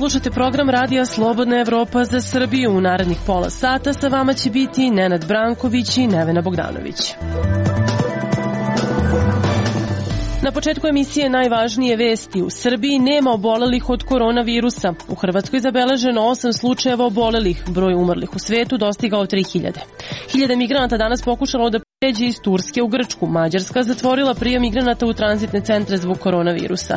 Slušate program Radija Slobodna Evropa za Srbiju. U narednih pola sata sa vama će biti Nenad Branković i Nevena Bogdanović. Na početku emisije najvažnije vesti. U Srbiji nema obolelih od koronavirusa. U Hrvatskoj zabeleženo 8 slučajeva obolelih. Broj umrlih u svetu dostigao 3000. Hiljade migranata danas pokušalo da pređe iz Turske u Grčku. Mađarska zatvorila prijem migranata u tranzitne centre zbog koronavirusa.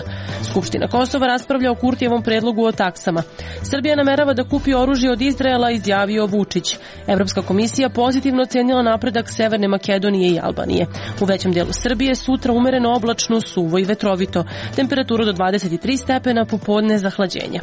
Skupština Kosova raspravlja o Kurtijevom predlogu o taksama. Srbija namerava da kupi oružje od Izraela, izjavio Vučić. Evropska komisija pozitivno ocenila napredak Severne Makedonije i Albanije. U većem delu Srbije sutra umereno oblačno, suvo i vetrovito. Temperaturu do 23 stepena, popodne zahlađenje.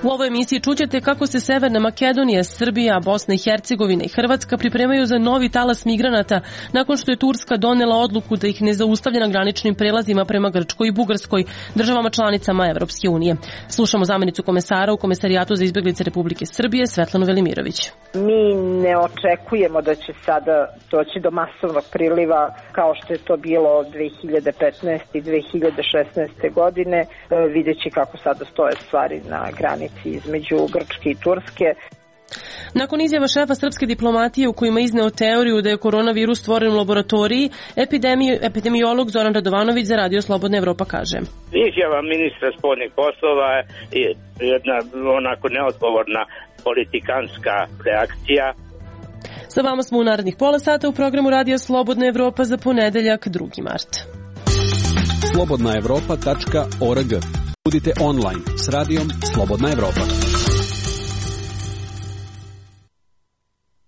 U ovoj emisiji čućete kako se Severna Makedonija, Srbija, Bosna i Hercegovina i Hrvatska pripremaju za novi talas migranata nakon što je Turska donela odluku da ih ne zaustavlja na graničnim prelazima prema Grčkoj i Bugarskoj, državama članicama Evropske unije. Slušamo zamenicu komesara u Komesarijatu za izbeglice Republike Srbije, Svetlanu Velimirović. Mi ne očekujemo da će sada doći do masovnog priliva kao što je to bilo 2015. i 2016. godine, videći kako sada stoje stvari na granici između Grčke i Turske. Nakon izjava šefa srpske diplomatije u kojima izneo teoriju da je koronavirus stvoren u laboratoriji, epidemiolog Zoran Radovanović za Radio Slobodna Evropa kaže: Izjava ministra spoljnih poslova je jedna onako neodgovorna politikanska reakcija. Sa vama smo u narednih pola sata u programu Radio Slobodna Evropa za ponedeljak 2. mart. slobodnaevropa.org. Budite online s radijom Slobodna Evropa.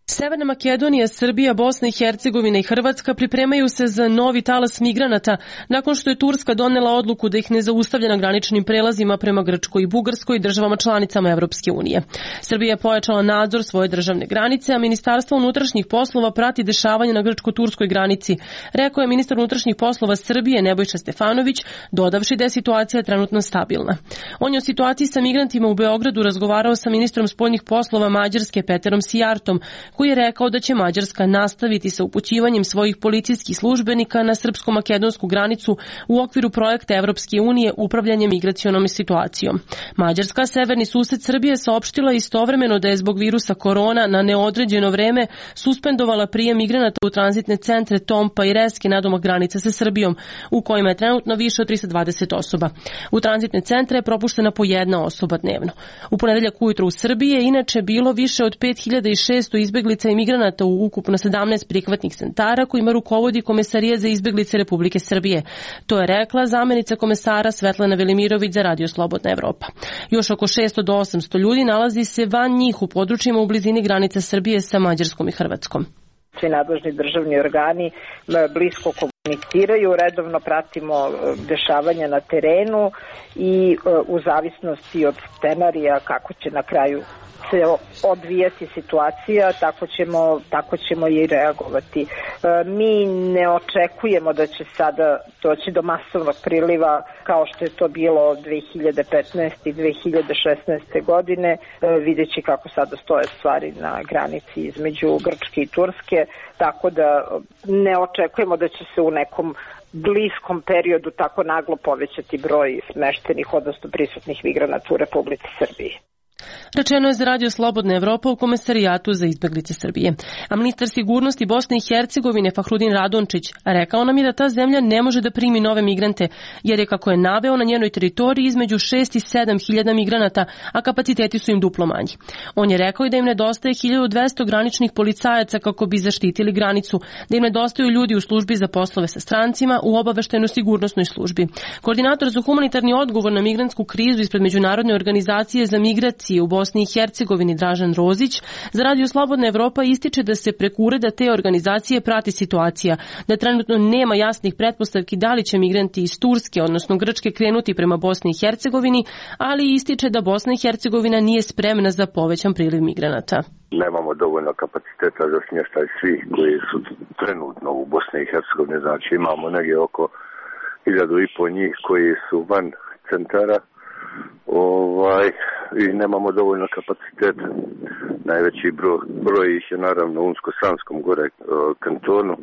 Severna Makedonija, Srbija, Bosna i Hercegovina i Hrvatska pripremaju se za novi talas migranata nakon što je Turska donela odluku da ih ne zaustavlja na graničnim prelazima prema Grčkoj i Bugarskoj, državama članicama Evropske unije. Srbija je pojačala nadzor svoje državne granice, a Ministarstvo unutrašnjih poslova prati dešavanje na grčko-turskoj granici, rekao je ministar unutrašnjih poslova Srbije Nebojša Stefanović, dodavši da je situacija trenutno stabilna. On je o situaciji sa migrantima u Beogradu razgovarao sa ministrom spoljnih poslova Mađarske Peterom Sijartom, koji je rekao da će Mađarska nastaviti sa upućivanjem svojih policijskih službenika na srpsko-makedonsku granicu u okviru projekta Evropske unije upravljanje migracionom situacijom. Mađarska, severni sused Srbije, saopštila istovremeno da je zbog virusa korona na neodređeno vreme suspendovala prijem migranata u tranzitne centre Tompa i Reske nadomak granice sa Srbijom, u kojima je trenutno više od 320 osoba. U tranzitne centre je propuštena po jedna osoba dnevno. U ponedeljak ujutro u Srbiji je inače bilo više od 5600 izbeglica i migranata u ukupno 17 prihvatnih centara kojima rukovodi Komesarijat za izbeglice Republike Srbije. To je rekla zamenica komesara Svetlana Velimirović za Radio Slobodna Evropa. Još oko 600 do 800 ljudi nalazi se van njih u područjima u blizini granice Srbije sa Mađarskom i Hrvatskom. Svi nadležni državni organi blisko komuniciraju, redovno pratimo dešavanja na terenu i u zavisnosti od scenarija kako će na kraju se odvijati situacija, tako ćemo i reagovati. Mi ne očekujemo da će sada doći do masovnog priliva kao što je to bilo 2015. i 2016. godine, videći kako sada stoje stvari na granici između Grčke i Turske, tako da ne očekujemo da će se u nekom bliskom periodu tako naglo povećati broj smeštenih, odnosno prisutnih migranata u Republici Srbiji. Rečeno je za Radio Slobodna Evropa u Komesarijatu za izbeglice Srbije. A ministar sigurnosti Bosne i Hercegovine Fahrudin Radončić rekao nam je da ta zemlja ne može da primi nove migrante, jer je, kako je naveo, na njenoj teritoriji između 6 i 7 hiljada migranata, a kapaciteti su im duplo manji. On je rekao i da im nedostaje 1200 graničnih policajaca kako bi zaštitili granicu, da im nedostaju ljudi u službi za poslove sa strancima, u obaveštajno-sigurnosnoj službi. Koordinator za humanitarni odgovor na migrantsku krizu ispred Međunarodne organizacije za migracije u Bosni i Hercegovini Dražan Rozić za Radio Slobodna Evropa ističe da se preko ureda te organizacije prati situacija, da trenutno nema jasnih pretpostavki da li će migranti iz Turske, odnosno Grčke, krenuti prema Bosni i Hercegovini, ali ističe da Bosna i Hercegovina nije spremna za povećan priliv migranata. Nemamo dovoljno kapaciteta za smještaj svih koji su trenutno u Bosni i Hercegovini, znači imamo negdje oko 1500 njih koji su van centara, i nemamo dovoljno kapaciteta. Najveći broj ih je naravno u Unsko-Sanskom gore kantonu.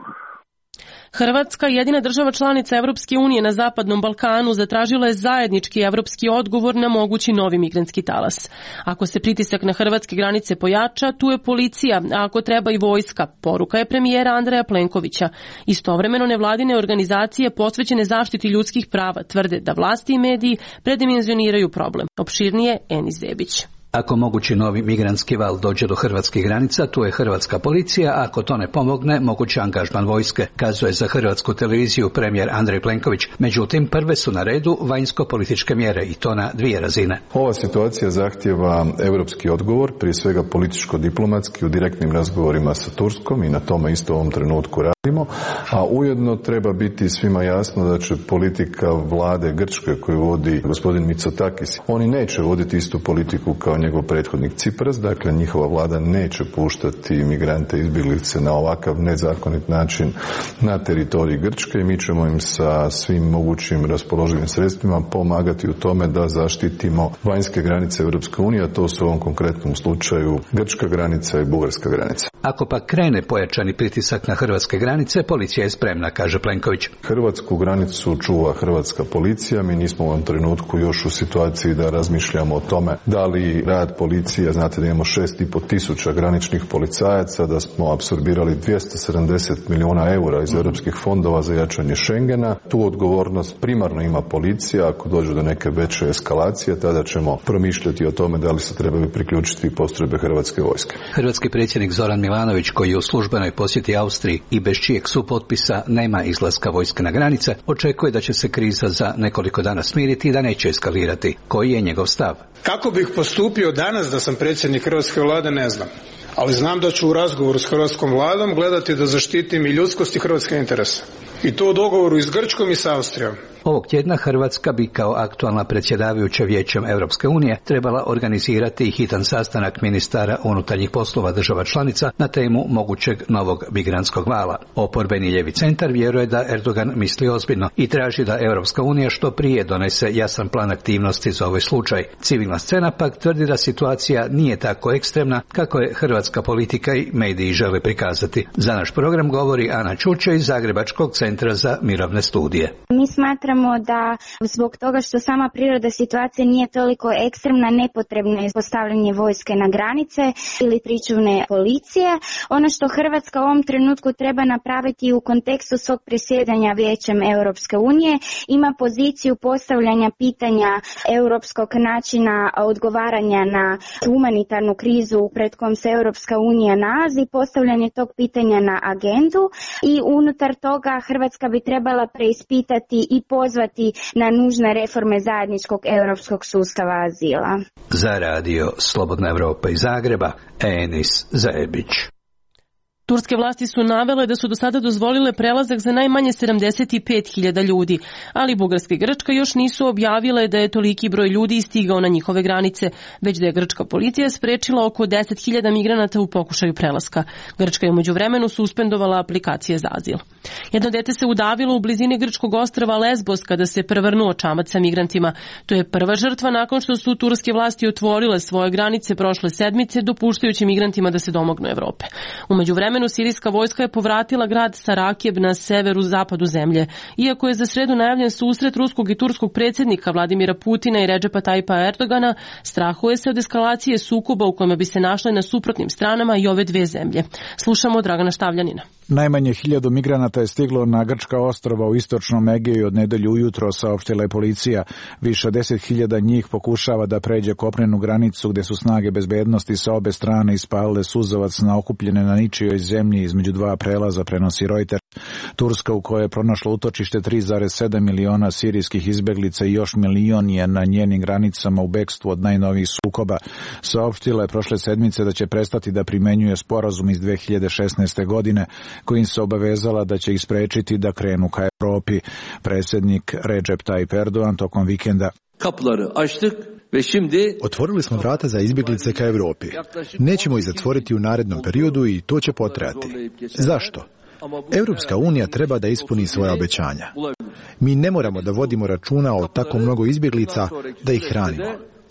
Hrvatska, jedina država članica Evropske unije na Zapadnom Balkanu, zatražila je zajednički evropski odgovor na mogući novi migrantski talas. Ako se pritisak na hrvatske granice pojača, tu je policija, a ako treba i vojska, poruka je premijera Andreja Plenkovića. Istovremeno nevladine organizacije posvećene zaštiti ljudskih prava tvrde da vlasti i mediji predimenzioniraju problem. Opširnije Enis Zebić. Ako mogući novi migrantski val dođe do hrvatskih granica, tu je hrvatska policija, a ako to ne pomogne, mogući angažman vojske, kazuje za hrvatsku televiziju premijer Andrej Plenković. Međutim, prve su na redu vanjsko-političke mjere i to na dvije razine. Ova situacija zahtijeva europski odgovor, prije svega političko-diplomatski u direktnim razgovorima sa Turskom i na tome isto u ovom trenutku radimo, a ujedno treba biti svima jasno da će politika vlade Grčke koju vodi gospodin Mitsotakis, oni neće voditi istu politiku kao njegov prethodnik Cipras, dakle njihova vlada neće puštati migrante i izbjeglice na ovakav nezakonit način na teritoriji Grčke i mi ćemo im sa svim mogućim raspoloživim sredstvima pomagati u tome da zaštitimo vanjske granice Europske unije, a to su u ovom konkretnom slučaju grčka granica i bugarska granica. Ako pa krene pojačani pritisak na hrvatske granice, policija je spremna, kaže Plenković. Hrvatsku granicu čuva hrvatska policija, mi nismo u ovom trenutku još u situaciji da razmišljamo o tome da li rad policije, znate da imamo 6.500 graničnih policajaca, da smo apsorbirali 270 milijuna eura iz europskih fondova za jačanje Schengena. Tu odgovornost primarno ima policija, ako dođe do neke veće eskalacije, tada ćemo promišljati o tome da li se trebaju priključiti postrojbe hrvatske vojske. Hrvatski predsjednik Zoran Milanović, koji je u službenoj posjeti Austriji i bez čijeg supotpisa nema izlaska vojske na granice, očekuje da će se kriza za nekoliko dana smiriti i da neće eskalirati. Koji je njegov stav? Kako bih postupio danas da sam predsjednik hrvatske vlade, ne znam. Ali znam da ću u razgovoru s hrvatskom vladom gledati da zaštitim i ljudskost i hrvatske interese. I to u dogovoru i s Grčkom i s Austrijom. Ovog tjedna Hrvatska bi kao aktualna predsjedavajuća Vijećem Europske unije trebala organizirati i hitan sastanak ministara unutarnjih poslova država članica na temu mogućeg novog migrantskog vala. Oporbeni ljevi centar vjeruje da Erdogan misli ozbiljno i traži da Europska unija što prije donese jasan plan aktivnosti za ovaj slučaj. Civilna scena pak tvrdi da situacija nije tako ekstremna kako je hrvatska politika i mediji žele prikazati. Za naš program govori Ana Čuče iz Zagrebačkog centra za mirovne studije. Mi smatramo da zbog toga što sama priroda situacije nije toliko ekstremna, nepotrebno je postavljanje vojske na granice ili pričuvne policije. Ono što Hrvatska u ovom trenutku treba napraviti u kontekstu svog predsjedanja Vijećem Europske unije, ima poziciju postavljanja pitanja europskog načina odgovaranja na humanitarnu krizu pred kojom se Europska unija nalazi, postavljanje tog pitanja na agendu i unutar toga Hrvatska bi trebala preispitati i pozvati na nužne reforme zajedničkog europskog sustava azila. Za radio Slobodna Evropa iz Zagreba, Enis Zebić. Turske vlasti su navele da su do sada dozvolile prelazak za najmanje 75.000 ljudi, ali Bugarska i Grčka još nisu objavile da je toliki broj ljudi stigao na njihove granice, već da je grčka policija sprečila oko 10.000 migranata u pokušaju prelaska. Grčka je u međuvremenu suspendovala aplikacije za azil. Jedno dete se udavilo u blizini grčkog ostrva Lesbos kada se prevrnuo čamac sa migrantima. To je prva žrtva nakon što su turske vlasti otvorile svoje granice prošle sedmice, dopuštajući migrantima da se domognu Evrope. U međuvremenu sirijska vojska je povratila grad Sarakjeb na severu zapadu zemlje. Iako je za sredu najavljen susret ruskog i turskog predsjednika Vladimira Putina i Redžepa Tajpa Erdogana, strahuje se od eskalacije sukoba u kojima bi se našle na suprotnim stranama i ove dve zemlje. Slušamo Dragana Štavljanina. Najmanje 1000 migranata je stiglo na grčka ostrva u istočnom Egeju od nedelju ujutro, saopštila je policija. Više 10.000 njih pokušava da pređe kopnenu granicu gde su snage bezbednosti sa obe strane ispalile suzovac na okupljene na ničijoj zemlji između dva prelaza, prenosi Reuters. Turska, u kojoj je pronašlo utočište 3,7 miliona sirijskih izbeglica i još milion je na njenim granicama u bekstvu od najnovijih sukoba, saopštila je prošle sedmice da će prestati da primenjuje sporazum iz 2016. godine kojim se obavezala da će ih sprečiti da krenu ka Evropi. Predsjednik Recep Tayyip Erdogan tokom vikenda: otvorili smo vrata za izbjeglice ka Evropi. Nećemo ih zatvoriti u narednom periodu i to će potrajati. Zašto? Europska unija treba da ispuni svoja obećanja. Mi ne moramo da vodimo računa o tako mnogo izbjeglica da ih hranimo.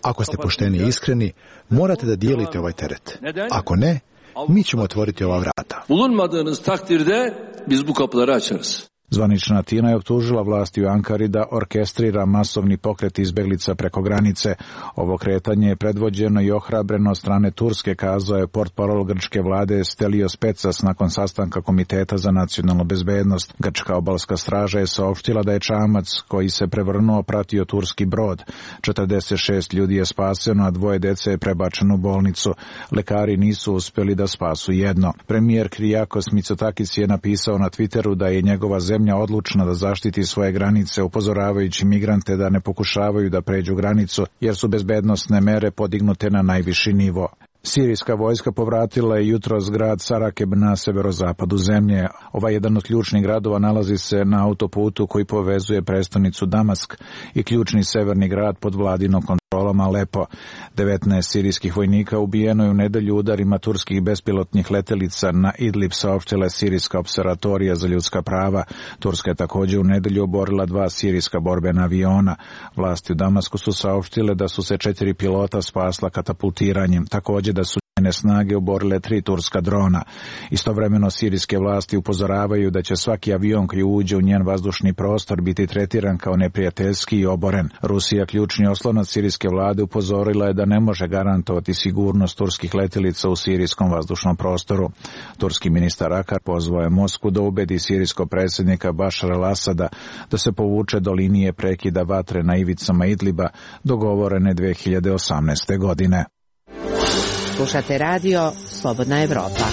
Ako ste pošteni i iskreni, morate da dijelite ovaj teret. Ako ne, mi ćemo otvoriti ova vrata. Bulunmadığınız takdirde biz bu kapıları açarız. Zvanična Atina je optužila vlasti u Ankari da orkestrira masovni pokret izbeglica preko granice. Ovo kretanje je predvođeno i ohrabreno od strane Turske, kazao je portparol grčke vlade Stelios Petsas nakon sastanka Komiteta za nacionalnu bezbednost. Grčka obalska straža je saopštila da je čamac koji se prevrnuo pratio turski brod. 46 ljudi je spaseno, a 2 dece je prebačeno u bolnicu. Lekari nisu uspeli da spasu jedno. Premijer Kyriakos Mitsotakis je napisao na Twitteru da je njegova zemlja odlučna da zaštiti svoje granice, upozoravajući migrante da ne pokušavaju da pređu granicu, jer su bezbednosne mere podignute na najviši nivo. Sirijska vojska povratila je jutros grad Sarakeb na severozapadu zemlje. Ovaj jedan od ključnih gradova nalazi se na autoputu koji povezuje prestonicu Damask i ključni severni grad pod vladinom kontrolom Alepo. 19 sirijskih vojnika ubijeno je u nedelju udarima turskih bespilotnih letelica na Idlib, saopštila je Sirijska observatorija za ljudska prava. Turska je također u nedelju oborila 2 sirijska borbena aviona. Vlasti u Damasku su saopštile da su se 4 pilota spasla katapultiranjem. Također da su njene snage oborile 3 turska drona. Istovremeno sirijske vlasti upozoravaju da će svaki avion koji uđe u njen vazdušni prostor biti tretiran kao neprijateljski i oboren. Rusija, ključni oslonac sirijske vlade, upozorila je da ne može garantovati sigurnost turskih letjelica u sirijskom vazdušnom prostoru. Turski ministar Akar pozvao je Moskvu da ubedi sirijskog predsjednika Bašara al-Asada da se povuče do linije prekida vatre na ivicama Idliba dogovorene 2018. godine. Slušate radio Slobodna Evropa.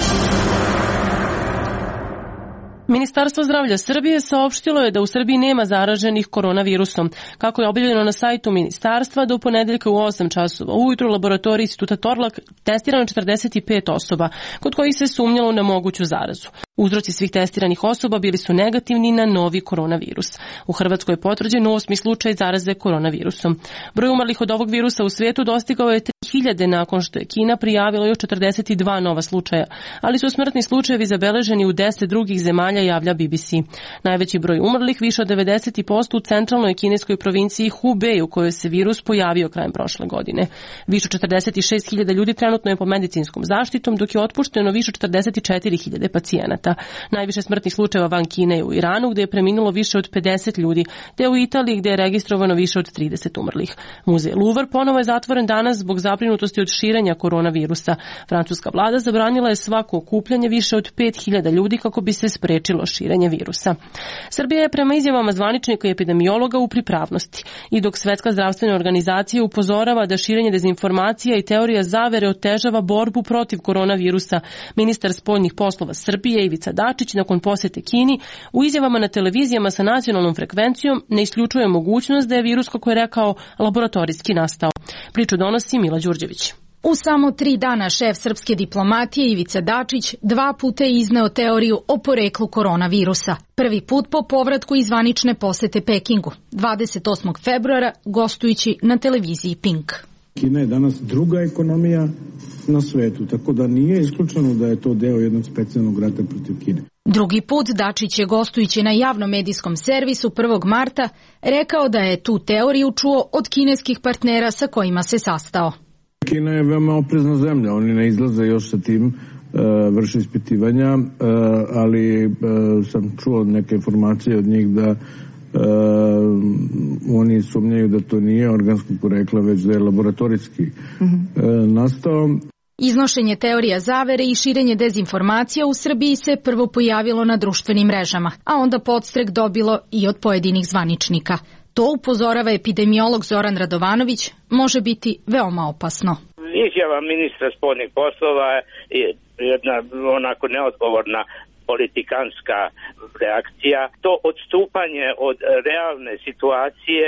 Ministarstvo zdravlja Srbije saopštilo je da u Srbiji nema zaraženih koronavirusom. Kako je objavljeno na sajtu ministarstva, do ponedeljka u 8 časova ujutru u laboratoriji Instituta Torlak testirano 45 osoba, kod kojih se sumnjalo na moguću zarazu. Uzroci svih testiranih osoba bili su negativni na novi koronavirus. U Hrvatskoj je potvrđen 8. slučaj zaraze koronavirusom. Broj umrlih od ovog virusa u svijetu dostigao je 3000 nakon što je Kina prijavila još 42 nova slučaja, ali su smrtni slučajevi zabeleženi u 10 drugih zemalja, javlja BBC. Najveći broj umrlih, više od 90% u centralnoj kineskoj provinciji Hubei, u kojoj se virus pojavio krajem prošle godine. Više od 46.000 ljudi trenutno je po medicinskom zaštitom, dok je otpušteno više od 44.000 pacijenata. Najviše smrtnih slučajeva van Kine je u Iranu, gdje je preminulo više od 50 ljudi, te u Italiji, gdje je registrovano više od 30 umrlih. Muzej Louvre ponovo je zatvoren danas zbog zabrinutosti od širenja koronavirusa. Francuska vlada zabranila je svako okupljanje više od 5.000 ljudi kako bi se sprečilo širenje virusa. Srbija je prema izjavama zvaničnika i epidemiologa u pripravnosti. I dok Svetska zdravstvena organizacija upozorava da širenje dezinformacija i teorija zavere otežava borbu protiv koronavirusa, ministar spoljnih poslova Srbije Ivica Dačić nakon posjete Kini u izjavama na televizijama sa nacionalnom frekvencijom ne isključuje mogućnost da je virus, kako je rekao, laboratorijski nastao. Priču donosi Mila Đurđević. U samo 3 dana šef srpske diplomatije Ivica Dačić 2 puta je izneo teoriju o poreklu koronavirusa. Prvi put po povratku iz zvanične posete Pekingu, 28. februara, gostujući na televiziji Pink. Kina je danas druga ekonomija na svetu, tako da nije isključeno da je to deo jednog specijalnog rata protiv Kine. Drugi put Dačić je gostujući na javnom medijskom servisu 1. marta rekao da je tu teoriju čuo od kineskih partnera sa kojima se sastao. Kina je veoma oprezna zemlja, oni ne izlaze još sa tim, vrše ispitivanja, ali sam čuo neke informacije od njih da oni sumnjaju da to nije organskog porekla, već da je laboratorijski nastao. Iznošenje teorija zavere i širenje dezinformacija u Srbiji se prvo pojavilo na društvenim mrežama, a onda podstrek dobilo i od pojedinih zvaničnika. To, upozorava epidemiolog Zoran Radovanović, može biti veoma opasno. Izjava ministra spoljnih poslova je jedna onako neodgovorna politikanska reakcija. To odstupanje od realne situacije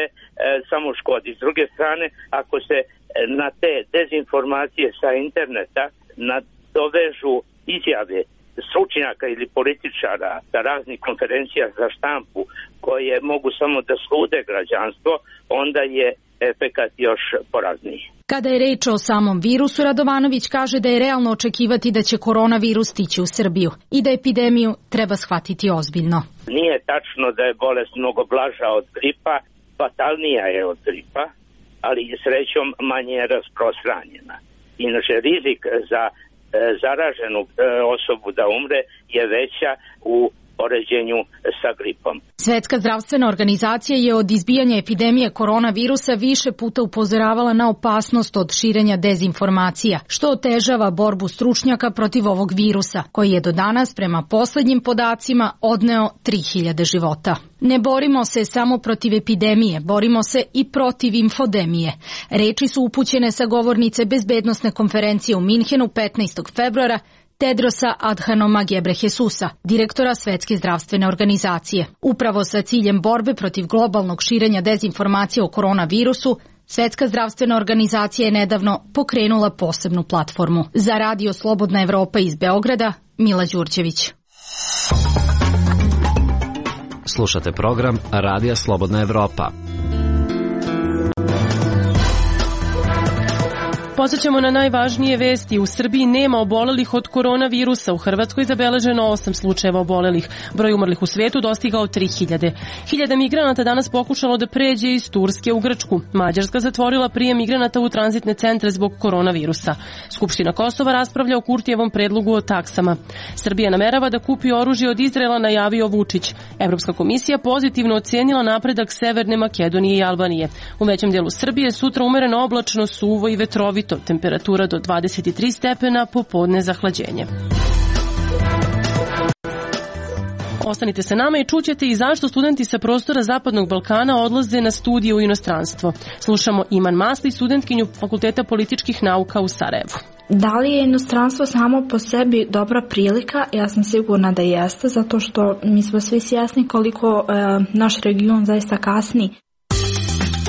samo škodi. S druge strane, ako se na te dezinformacije sa interneta nadovežu izjave stručnjaka ili političara sa raznih konferencija za štampu koje mogu samo da slude građanstvo, onda je efekat još porazniji. Kada je reč o samom virusu, Radovanović kaže da je realno očekivati da će koronavirus stići u Srbiju i da epidemiju treba shvatiti ozbiljno. Nije tačno da je bolest mnogo blaža od gripa, fatalnija je od gripa, ali srećom manje je rasprostranjena. Inače, rizik za zaraženu osobu da umre je veća u poređenju sa gripom. Svetska zdravstvena organizacija je od izbijanja epidemije koronavirusa više puta upozoravala na opasnost od širenja dezinformacija, što otežava borbu stručnjaka protiv ovog virusa, koji je do danas, prema poslednjim podacima, odneo 3000 života. Ne borimo se samo protiv epidemije, borimo se i protiv infodemije. Reči su upućene sa govornice bezbednosne konferencije u Minhenu 15. februara Tedrosa Adhanoma Ghebreyesusa, direktora Svetske zdravstvene organizacije. Upravo sa ciljem borbe protiv globalnog širenja dezinformacija o koronavirusu, Svetska zdravstvena organizacija je nedavno pokrenula posebnu platformu. Za Radio Slobodna Evropa iz Beograda, Mila Đurđević. Slušate program Radija Slobodna Evropa. Podsećamo na najvažnije vesti. U Srbiji nema obolelih od koronavirusa. U Hrvatskoj zabeleženo 8 slučajeva obolelih. Broj umrlih u svetu dostigao 3000. 1000 migranata danas pokušalo da pređe iz Turske u Grčku. Mađarska zatvorila prijem migranata u tranzitne centre zbog koronavirusa. Skupština Kosova raspravlja o Kurtijevom predlogu o taksama. Srbija namerava da kupi oružje od Izraela, najavio Vučić. Evropska komisija pozitivno ocenila napredak Severne Makedonije i Albanije. U većem delu Srbije sutra umereno oblačno, suvo i vetrovito. Temperatura do 23 stepena, popodne zahlađenje. Ostanite sa nama i čućete i zašto studenti sa prostora Zapadnog Balkana odlaze na studije u inostranstvo. Slušamo Iman Masli, studentkinju Fakulteta političkih nauka u Sarajevu. Da li je inostranstvo samo po sebi dobra prilika? Ja sam sigurna da jeste, zato što mi smo svi svjesni koliko naš region zaista kasni.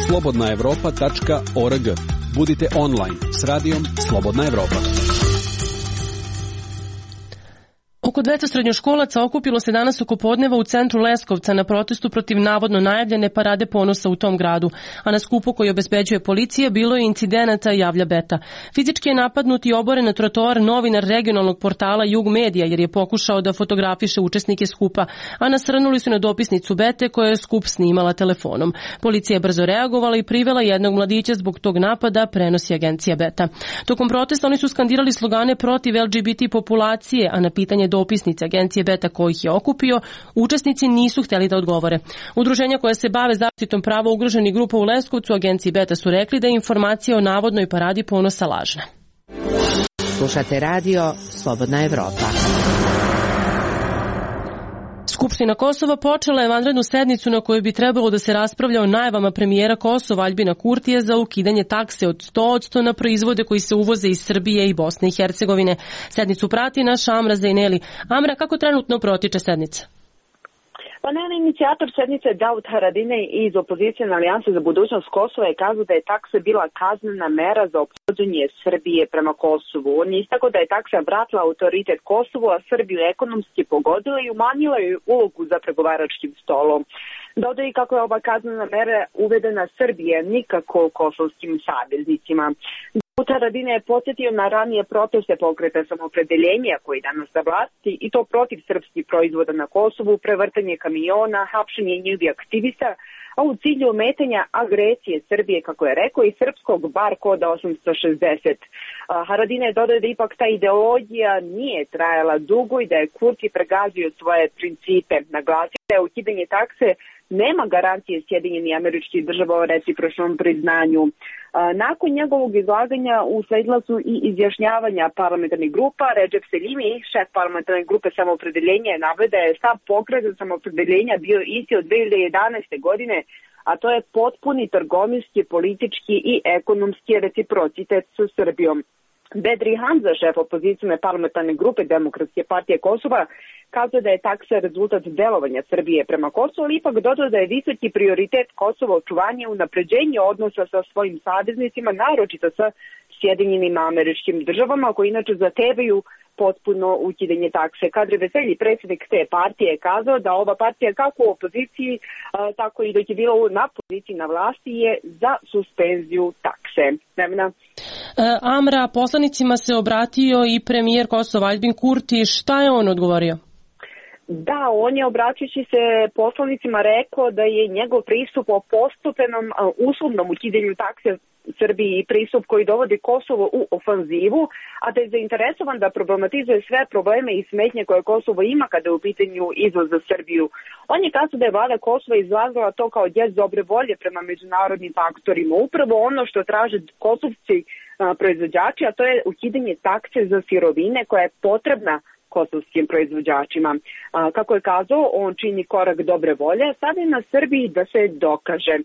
slobodnaevropa.org. Budite online s radijom Slobodna Evropa. Oko 200 srednjoškolaca okupilo se danas oko podneva u centru Leskovca na protestu protiv navodno najavljene parade ponosa u tom gradu, a na skupu koji obezbeđuje policija bilo je incidenata, javlja Beta. Fizički je napadnut i oboren na trotoar novinar regionalnog portala Jug Medija jer je pokušao da fotografiše učesnike skupa, a nasrnuli su na dopisnicu Bete koja je skup snimala telefonom. Policija je brzo reagovala i privela jednog mladića zbog tog napada, prenosi agencija Beta. Tokom protesta oni su skandirali slogane protiv LGBT populacije, a na pitanje dopisnice agencije Beta kojih je okupio, učesnici nisu hteli da odgovore. Udruženja koja se bave zaštitom prava ugroženih grupa u Leskovcu agenciji Beta su rekli da je informacija o navodnoj paradi ponosa lažna. Slušate radio Slobodna Evropa. Skupština Kosova počela je vanrednu sednicu na kojoj bi trebalo da se raspravlja o najavama premijera Kosova Aljbina Kurtija za ukidanje takse od 100% na proizvode koji se uvoze iz Srbije i Bosne i Hercegovine. Sednicu prati naš Amra Zajneli. Amra, kako trenutno protiče sednica? Pa ne, inicijator sednice Davut Haradinaj iz opozicijne alijanse za budućnost Kosova je kazao da je taksa bila kaznena mera za ophođenje Srbije prema Kosovu. On je istakao da je taksa vratila autoritet Kosovu, a Srbiju ekonomski pogodila i umanjila joj ulogu za pregovaračkim stolom. Dodao i kako je ova kaznena mera uvedena Srbije, nikako kosovskim saveznicima. Haradinaj je podsjetio na ranije proteste pokreta Samopredeljenja koji danas za vlasti i to protiv srpskih proizvoda na Kosovu, prevrtanje kamiona, hapšenje njihovih aktivista, a u cilju ometanja agresije Srbije, kako je rekao, i srpskog bar koda 860. Haradinaj je dodao da ipak ta ideologija nije trajala dugo i da je Kurti pregazio svoje principe. Naglasio da je ukidanje takse nema garancije Sjedinjenih Američkih Država o recipročnom priznanju. Nakon njegovog izlaganja usledila su i izjašnjavanja parlamentarnih grupa. Recep Selimi, šef parlamentarne grupe Samoopredeljenja, je naveo da je stav pokreta Samoopredeljenja bio isti od 2011. godine, a to je potpuni trgovinski, politički i ekonomski reciprocitet sa Srbijom. Bedri Hamza, šef opozicijne parlamentarne grupe Demokratske partije Kosova, kazao da je taksa rezultat delovanja Srbije prema Kosovu, ali ipak dodao da je visoki prioritet Kosova očuvanje i unapređenje odnosa sa svojim saveznicima, naročito sa Sjedinjenim Američkim Državama, koji inače zahtevaju potpuno ukidanje takse. Kadri Veselji, predsjednik te partije, je kazao da ova partija kako u opoziciji, tako i dok je bila na poziciji na vlasti je za suspenziju takse. Amra, poslanicima se obratio i premijer Kosova Aljbin Kurti. Šta je on odgovorio? Da, on je obraćajući se poslanicima rekao da je njegov pristup o postupenom uslovnom ukidanju takse Srbiji i pristup koji dovodi Kosovo u ofanzivu, a da je zainteresovan da problematizuje sve probleme i smetnje koje Kosovo ima kada je u pitanju izvoz za Srbiju. On je kazao da je vlada Kosova izrazila to kao gest dobre volje prema međunarodnim faktorima. Upravo ono što traže kosovci proizvođači, a to je ukidanje takse za sirovine koja je potrebna kosovskim proizvođačima. Kako je kazao, on čini korak dobre volje, sad je na Srbiji da se dokaže.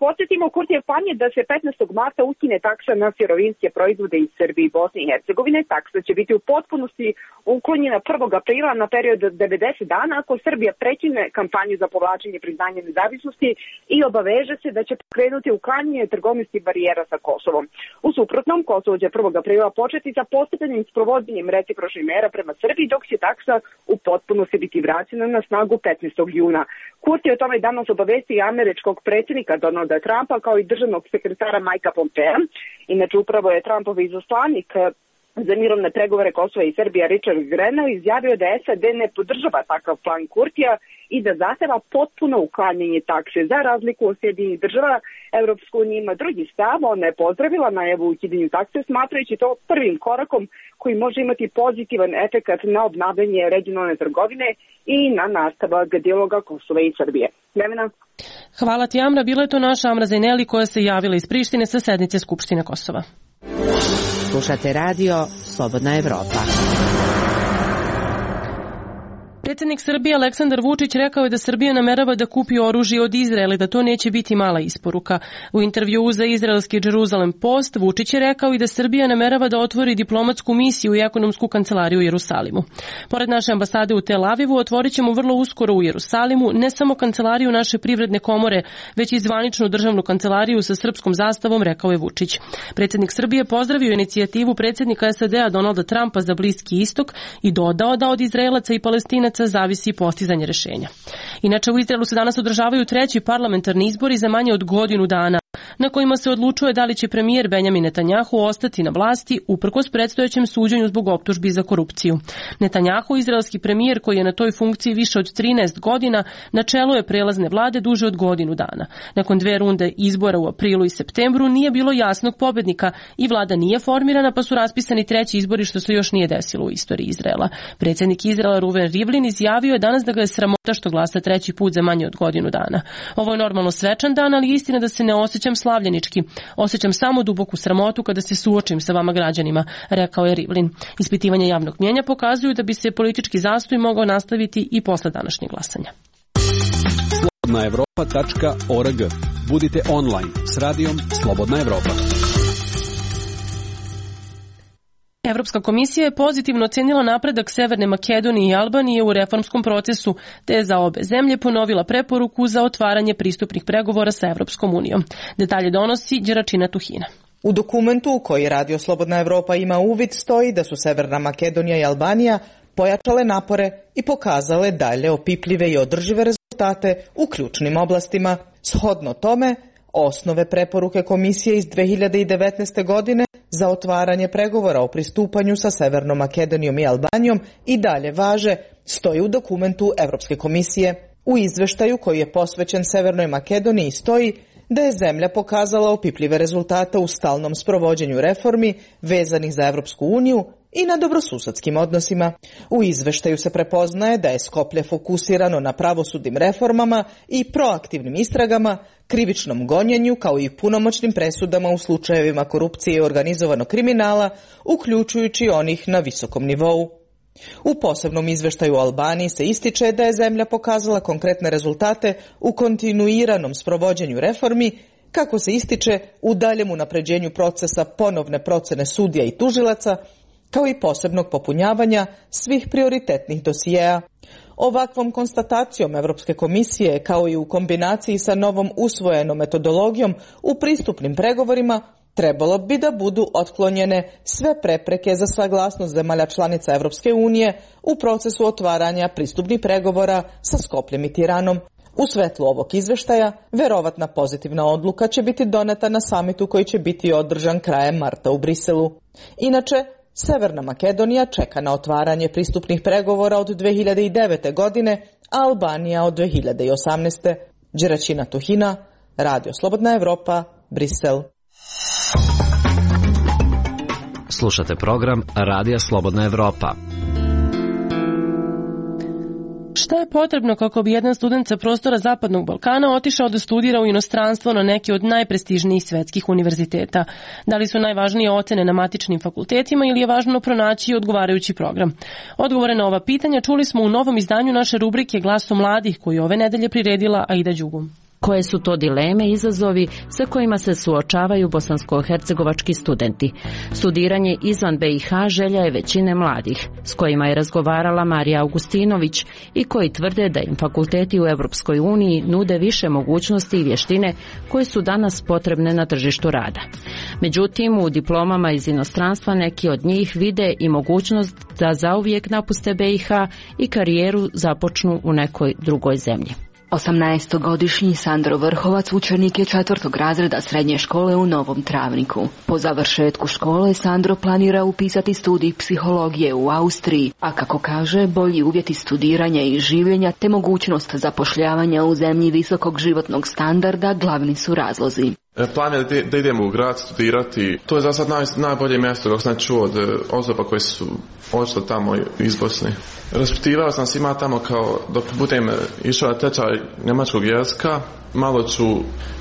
Podsjetimo, Kurtijev plan je da se 15. marta ukine taksa na sirovinske proizvode iz Srbije i Bosne i Hercegovine. Taksa će biti u potpunosti uklonjena 1. aprila na period 90 dana ako Srbija prekine kampanju za povlačenje priznanja nezavisnosti i obaveže se da će pokrenuti uklanjanje trgovinskih barijera sa Kosovom. U suprotnom, Kosovo će 1. aprila početi sa postepenim sprovođenjem recipročnih mera prema Srbiji, dok će taksa u potpunosti biti vraćena na snagu 15. juna. Kurti je o tome danas obavesti i američkog predsjednika Donalda Trumpa kao i državnog sekretara Majka Pompea. Inače, upravo je Trumpov izaslanik za mirovne pregovore Kosova i Srbija Richard Grenell izjavio da SAD ne podržava takav plan Kurtija i da zahteva potpuno uklanjanje takse. Za razliku od Sjedinjenih država, Evropska unija ima drugi stav. Ona je pozdravila najavu o ukidanju takse, smatrajući to prvim korakom koji može imati pozitivan efekat na obnavljanje regionalne trgovine i na nastavak dijaloga Kosova i Srbije. Nevena? Hvala ti, Amra. Bila je to naša Amra Zajneli koja se javila iz Prištine sa sednice Skupštine Kosova. Slušate radio Slobodna Evropa. Predsjednik Srbije Aleksandar Vučić rekao je da Srbija namerava da kupi oružje od Izraela i da to neće biti mala isporuka. U intervjuu za izraelski Jerusalem Post Vučić je rekao i da Srbija namerava da otvori diplomatsku misiju i ekonomsku kancelariju u Jerusalimu. Pored naše ambasade u Tel Avivu otvorit ćemo vrlo uskoro u Jerusalimu ne samo kancelariju naše privredne komore, već i zvaničnu državnu kancelariju sa srpskom zastavom, rekao je Vučić. Predsjednik Srbije pozdravio inicijativu predsjednika SAD-a Donalda Trumpa za Bliski istok i dodao da od Izraelaca i Palestinaca zavisi postizanje rešenja. Inače, u Izraelu se danas održavaju treći parlamentarni izbori za manje od godinu dana, na kojima se odlučuje da li će premijer Benjamin Netanjahu ostati na vlasti uprkos predstojećem suđenju zbog optužbi za korupciju. Netanjahu, izraelski premijer koji je na toj funkciji više od 13 godina, na čelu je prelazne vlade duže od godinu dana. Nakon 2 runde izbora u aprilu i septembru nije bilo jasnog pobednika i vlada nije formirana, pa su raspisani treći izbori, što se još nije desilo u istoriji Izraela. Predsjednik Izraela Ruven Rivlin izjavio je danas da ga je sramota što glasa treći put za manje od godinu dana. Ovo je normalno svečan dan, ali istina da se ne osjećam slavljenički. Osjećam samo duboku sramotu kada se suočim sa vama građanima, rekao je Rivlin. Ispitivanja javnog mnijenja pokazuju da bi se politički zastoj mogao nastaviti i posle današnjeg glasanja. slobodnaevropa.org. Budite online s radijom Slobodna Evropa. Evropska komisija je pozitivno ocenila napredak Severne Makedonije i Albanije u reformskom procesu, te je za obe zemlje ponovila preporuku za otvaranje pristupnih pregovora sa Evropskom unijom. Detalje donosi Đeračina Tuhina. U dokumentu u koji Radio Slobodna Evropa ima uvid stoji da su Severna Makedonija i Albanija pojačale napore i pokazale dalje opipljive i održive rezultate u ključnim oblastima. Shodno tome, osnove preporuke komisije iz 2019. godine za otvaranje pregovora o pristupanju sa Severnom Makedonijom i Albanijom i dalje važe, stoji u dokumentu Evropske komisije. U izveštaju koji je posvećen Severnoj Makedoniji stoji da je zemlja pokazala opipljive rezultate u stalnom sprovođenju reformi vezanih za Evropsku uniju i na dobrosusedskim odnosima. U izveštaju se prepoznaje da je Skoplje fokusirano na pravosudnim reformama i proaktivnim istragama, krivičnom gonjenju kao i punomoćnim presudama u slučajevima korupcije i organizovanog kriminala, uključujući onih na visokom nivou. U posebnom izveštaju o Albaniji se ističe da je zemlja pokazala konkretne rezultate u kontinuiranom sprovođenju reformi, kako se ističe u daljem unapređenju procesa ponovne procene sudija i tužilaca, kao i posebnog popunjavanja svih prioritetnih dosijeja. Ovakvom konstatacijom Evropske komisije, kao i u kombinaciji sa novom usvojenom metodologijom u pristupnim pregovorima, trebalo bi da budu otklonjene sve prepreke za saglasnost zemalja članica Evropske unije u procesu otvaranja pristupnih pregovora sa Skopljem i Tiranom. U svetlu ovog izveštaja, verovatna pozitivna odluka će biti doneta na samitu koji će biti održan krajem marta u Briselu. Inače, Severna Makedonija čeka na otvaranje pristupnih pregovora od 2009. godine, a Albanija od 2018. Đeračina Tuhina, Radio Slobodna Evropa, Brisel. Slušate program Radija Slobodna Evropa. Šta je potrebno kako bi jedan student sa prostora Zapadnog Balkana otišao da studira u inostranstvo na neki od najprestižnijih svetskih univerziteta? Da li su najvažnije ocene na matičnim fakultetima ili je važno pronaći odgovarajući program? Odgovore na ova pitanja čuli smo u novom izdanju naše rubrike Glasom mladih, koju ove nedelje priredila Aida Đugum. Koje su to dileme i izazovi sa kojima se suočavaju bosansko-hercegovački studenti? Studiranje izvan BiH želja je većine mladih, s kojima je razgovarala Marija Augustinović i koji tvrde da im fakulteti u Evropskoj uniji nude više mogućnosti i vještine koje su danas potrebne na tržištu rada. Međutim, u diplomama iz inostranstva neki od njih vide i mogućnost da zauvijek napuste BiH i karijeru započnu u nekoj drugoj zemlji. 18-godišnji Sandro Vrhovac učenik je 4. razreda srednje škole u Novom Travniku. Po završetku škole Sandro planira upisati studij psihologije u Austriji, a kako kaže, bolji uvjeti studiranja i življenja te mogućnost zapošljavanja u zemlji visokog životnog standarda glavni su razlozi. Plan je da idemo u grad studirati. To je za sad najbolje mjesto kako sam čuo od osoba koje su odšle tamo iz Bosne. Raspitivao sam se ima tamo kao dok budem išao na tečaj njemačkog jezika, malo ću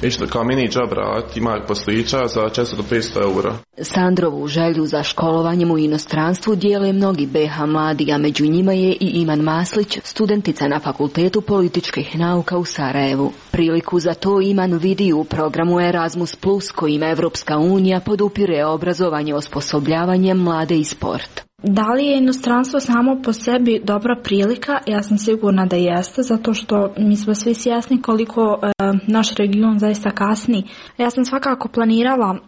išli kao mini job rad, ima poslića za 400 do 500 eura. Sandrovu želju za školovanjem u inostranstvu dijele mnogi BiH mladi, a među njima je i Iman Maslić, studentica na Fakultetu političkih nauka u Sarajevu. Priliku za to Iman vidi u programu Erasmus+, kojim Evropska unija podupire obrazovanje, osposobljavanje mlade i sport. Da li je inostranstvo samo po sebi dobra prilika? Ja sam sigurna da jeste, zato što mi smo svi svjesni koliko naš region zaista kasni. Ja sam svakako planirala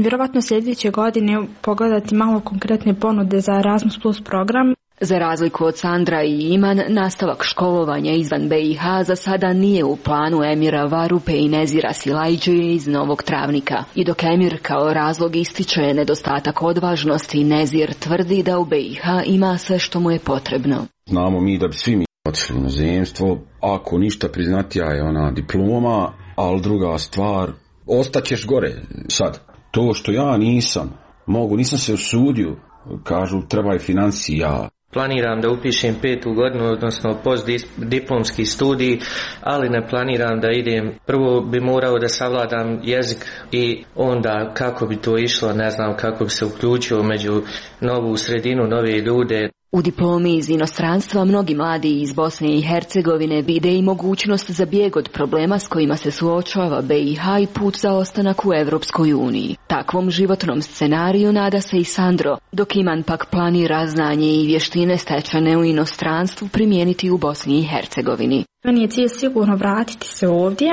vjerovatno sljedeće godine pogledati malo konkretne ponude za Erasmus Plus program. Za razliku od Sandra i Iman, nastavak školovanja izvan BiH za sada nije u planu Emira Varupe i Nezira Silajđije iz Novog Travnika. I dok Emir kao razlog ističe nedostatak odvažnosti, Nezir tvrdi da u BiH ima sve što mu je potrebno. Znamo mi da bi svi mi otišli na zemstvo, ako ništa priznatija je ona diploma, ali druga stvar, ostaćeš gore sad. To što ja nisam se usudio, kažu treba je financija. Planiram da upišem 5. godinu, odnosno postdiplomski studij, ali ne planiram da idem. Prvo bi morao da savladam jezik i onda kako bi to išlo, ne znam kako bi se uključio među novu sredinu, nove ljude. U diplomi iz inostranstva mnogi mladi iz Bosne i Hercegovine vide i mogućnost za bijeg od problema s kojima se suočava BiH i put za ostanak u Evropskoj uniji. Takvom životnom scenariju nada se i Sandro, dok Iman pak planira znanje i vještine stečene u inostranstvu primijeniti u Bosni i Hercegovini. Meni je cilj sigurno vratiti se ovdje,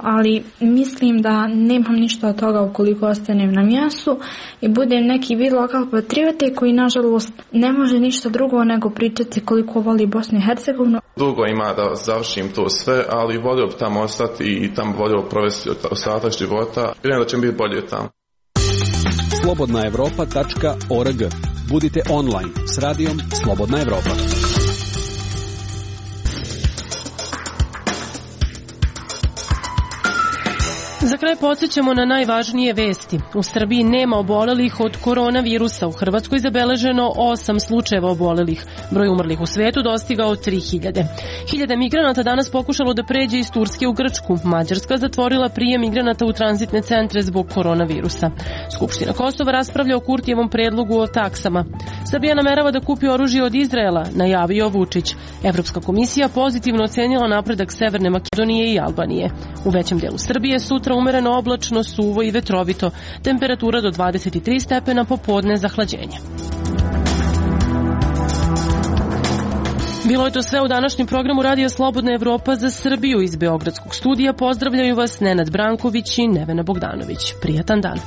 ali mislim da nemam ništa od toga ukoliko ostanem na mjestu i budem neki vid lokal patriote koji nažalost ne može ništa drugo nego pričati koliko voli Bosnu i Hercegovinu. Dugo ima da završim to sve, ali volio bi tamo ostati i tamo volio provesti ostatak života. Vjerujem da će mi biti bolje tamo. slobodnaevropa.org. Budite online s radijom Slobodna Evropa. Za kraj podsjećamo na najvažnije vesti. U Srbiji nema obolelih od koronavirusa. U Hrvatskoj zabeleženo 8 slučajeva obolelih. Broj umrlih u svetu dostigao 3000. Hiljade migranata danas pokušalo da pređe iz Turske u Grčku. Mađarska zatvorila prijem migranata u tranzitne centre zbog koronavirusa. Skupština Kosova raspravlja o Kurtijevom predlogu o taksama. Srbija namerava da kupi oružje od Izraela, najavio Vučić. Evropska komisija pozitivno ocenila napredak Severne Makedonije i Albanije. U većem delu Srbije sutra umereno oblačno, suvo i vetrovito. Temperatura do 23 stepena, popodne zahlađenje. Bilo je to sve u današnjem programu Radija Slobodna Evropa za Srbiju. Iz Beogradskog studija pozdravljaju vas Nenad Branković i Nevena Bogdanović. Prijatan dan.